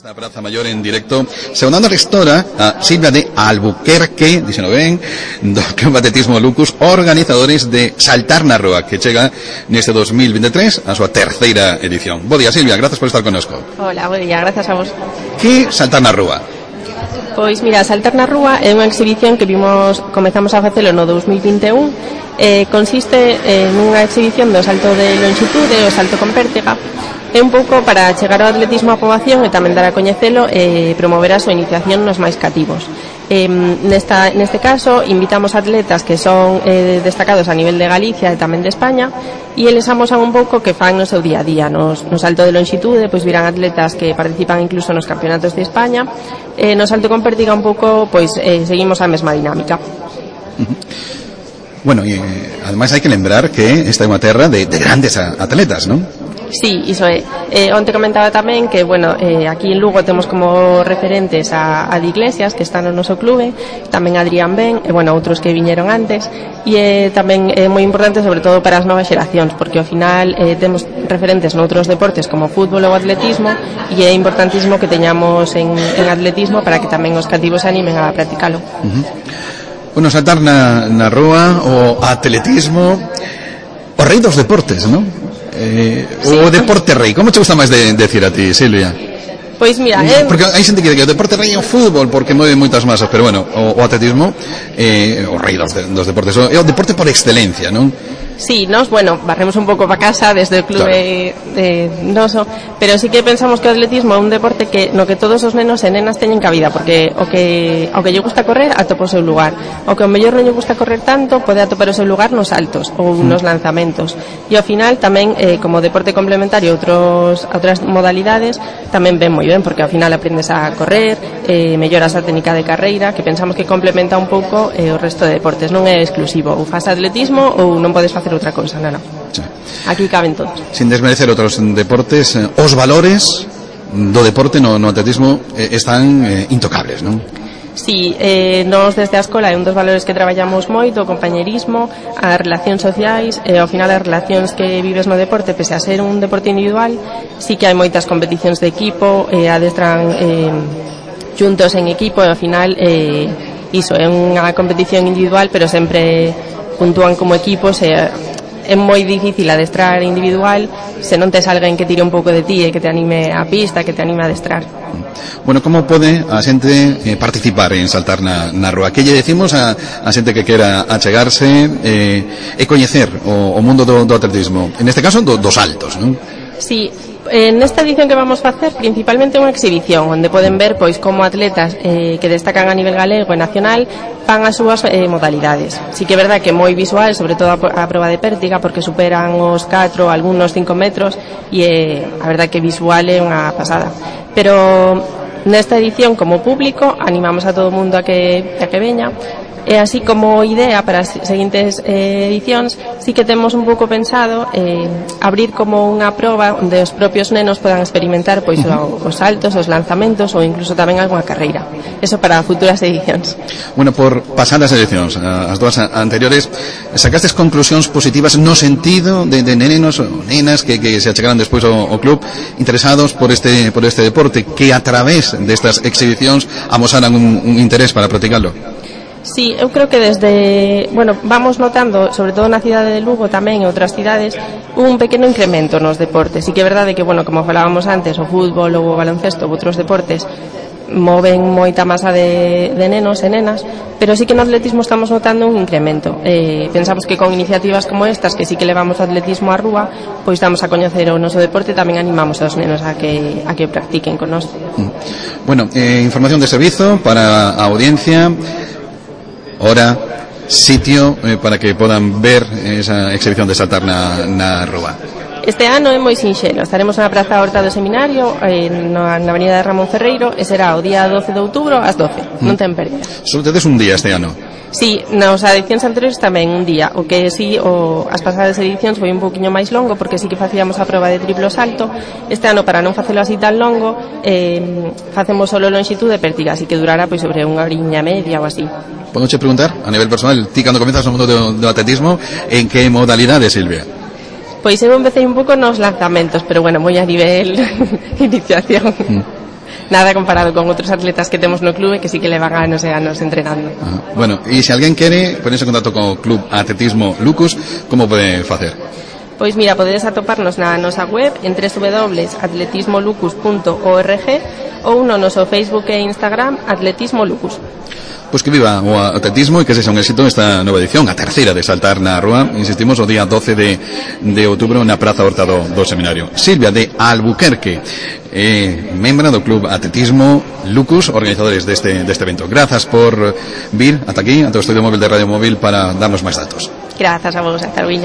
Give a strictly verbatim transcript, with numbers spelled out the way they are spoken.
Esta Praza Mayor en directo, saudando a gestora a Silvia de Albuquerque, dixeno ben, do Club Atletismo Lucus, organizadores de Saltar na Rúa, que chega neste dos mil veintitrés a súa terceira edición. Bo día, Silvia, grazas por estar connosco. Hola, bo día, gracias a vos. Que Saltar na Rúa? Pois mira, Saltar na Rúa é unha exhibición que vimos, comezamos a facelo no dos mil vinte e un, eh, consiste en unha exhibición do salto de longitude, o salto con pértiga. É un pouco para chegar ao atletismo á poboación e tamén dar a coñecelo e promover a súa iniciación nos máis cativos. Eh, nesta, neste caso, invitamos atletas que son eh, destacados a nivel de Galicia e tamén de España, e eles amosan un pouco que fan no seu día a día. Nos, no salto de longitude, pois virán atletas que participan incluso nos campeonatos de España. Eh, no salto con pértiga un pouco, pois eh, seguimos a mesma dinámica. Bueno, e eh, ademais hai que lembrar que esta é unha terra de, de grandes atletas, non? Sí, iso é. Eh, onte comentaba tamén que, bueno, eh, aquí en Lugo temos como referentes a, a de Iglesias, que está no noso clube, tamén Adrián Ben, e, bueno, outros que viñeron antes, e eh, tamén é moi importante, sobre todo para as novas xeracións, porque ao final eh, temos referentes noutros deportes como fútbol ou atletismo, e é importantísimo que teñamos en, en atletismo para que tamén os cativos se animen a practicalo. Uh-huh. Bueno, saltar na, na rúa, o atletismo, o rei dos deportes, non? Eh, sí. O deporte rei, como te gusta máis de, decir a ti, Silvia? Pois mira, eh... porque hai xente que dice que o deporte rei é o fútbol porque move moitas masas, pero bueno, o, o atletismo é eh, o rei dos, de, dos deportes, é o deporte por excelencia, non? Sí, nos, bueno, barremos un pouco para casa desde o clube claro. de noso, pero sí que pensamos que o atletismo é un deporte que no que todos os nenos e nenas teñen cabida, porque o que o que lle gusta correr atopa o seu lugar, o que ao mellor non lle gusta correr tanto pode atopar o seu lugar nos saltos ou mm. nos lanzamentos, e ao final tamén eh, como deporte complementario outros outras modalidades tamén ven moi ben, porque ao final aprendes a correr, eh, melloras a técnica de carreira, que pensamos que complementa un pouco eh, o resto de deportes, non é exclusivo, ou faz atletismo ou non podes facer outra cousa, non, non. Sí. Aquí caben todos. Sin desmerecer outros deportes, eh, os valores do deporte no, no atletismo eh, están eh, intocables, non? Sí, eh, nos desde a escola é un dos valores que traballamos moito, o compañerismo, as relacións sociais, e ao final as relacións que vives no deporte, pese a ser un deporte individual, sí que hai moitas competicións de equipo, eh, adestran eh, juntos en equipo, e ao final eh, iso, é unha competición individual, pero sempre puntúan como equipos, e é moi difícil adestrar individual se non tes alguén que tire un pouco de ti e que te anime a pista, que te anime a adestrar. Bueno, como pode a xente eh, participar en saltar na, na rúa? Que lle decimos a, a xente que quera achegarse eh, e coñecer o, o mundo do, do atletismo, en este caso do, dos saltos, non? Sí, en esta edición que vamos a facer principalmente unha exhibición onde poden ver pois como atletas eh, que destacan a nivel galego e nacional fan as súas eh, modalidades. Sí que é verdad que é moi visual, sobre todo a, a proba de pértiga, porque superan os catro, algúns cinco metros, e eh, a verdad que visual é unha pasada. Pero nesta edición, como público, animamos a todo o mundo a que, a que veña. E así como idea para as seguintes eh, edicións, sí que temos un pouco pensado eh, abrir como unha proba onde os propios nenos podan experimentar pois uh-huh. os saltos, os lanzamentos ou incluso tamén algunha carreira. Eso para futuras edicións. Bueno, por pasadas edicións, as dúas anteriores, sacastes conclusións positivas no sentido de, de nenos ou nenas que, que se achegaran despois ao, ao club interesados por este por este deporte, que a través destas exhibicións amosaran un, un interés para practicarlo. Sí, eu creo que desde, bueno, vamos notando, sobre todo na cidade de Lugo tamén e outras cidades, un pequeno incremento nos deportes. Sí que é verdade que, bueno, como falábamos antes, o fútbol ou o baloncesto ou outros deportes moven moita masa de, de nenos e nenas, pero sí que no atletismo estamos notando un incremento. Eh, pensamos que con iniciativas como estas, que sí que levamos o atletismo á rúa, pois damos a coñecer o noso deporte e tamén animamos aos nenos a que, a que practiquen con nós. Bueno, eh, información de servizo para a audiencia, hora, sitio eh, para que podan ver esa exhibición de saltar na, na rúa. Este ano é moi sinxelo, estaremos na Praza Horta do Seminario, eh, na, na Avenida de Ramón Ferreiro, e será o día doce de outubro ás doce, mm. non ten pérdida. Só tedes un día este ano? Sí, nas edicións anteriores tamén un día, o que sí, o, as pasadas edicións foi un pouquiño máis longo, porque sí que facíamos a proba de triplo salto. Este ano, para non facelo así tan longo, eh, facemos solo longitude e pértiga, así que durará pois sobre unha horiña media ou así. Podo che preguntar, a nivel personal, ti cando comenzas no mundo do, do atletismo, en que modalidade, Silvia? Pois eu empecé un pouco nos lanzamentos, pero bueno, moi a nivel iniciación. Mm. nada comparado con outros atletas que temos no clube que sí que levan anos e anos entrenando. Ah, bueno, e se alguén quere ponerse en contacto con o Club Atletismo Lucus, como pode facer? Pois mira, podedes atoparnos na nosa web en doble u doble u doble u punto atletismo lucus punto org ou no noso Facebook e Instagram Atletismo Lucus. Pois que viva o atletismo e que sexa un éxito esta nova edición, a terceira de Saltar na Rúa, insistimos, o día doce de, de outubro na Praza Horta do, do Seminario. Silvia de Albuquerque, eh, membra do Club Atletismo Lucus, organizadores deste, deste evento. Grazas por vir ata aquí, ata o estudio móvil de Radio Móvil para darnos máis datos. Grazas a vos, hasta luego.